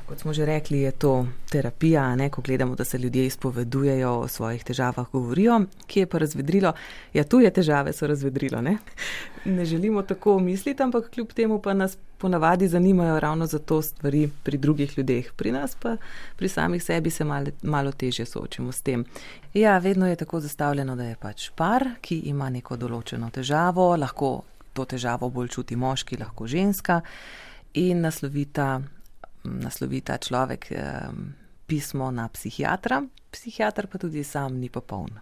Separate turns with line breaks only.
Kot smo že rekli, je to terapija, ne? Ko gledamo, da se ljudje izpovedujejo, o svojih težavah govorijo. Kje je pa razvedrilo? Ja, tuje težave so razvedrilo, ne? Ne želimo tako misliti, ampak kljub temu pa nas ponavadi zanimajo ravno zato stvari pri drugih ljudeh. Pri nas pa pri samih sebi se malo težje soočimo s tem. Ja, vedno je tako zastavljeno, da je pač par, ki ima neko določeno težavo, lahko to težavo bolj čuti moški, lahko ženska in naslovita človek pismo na psihiatra, psihiater pa tudi sam ni popoln.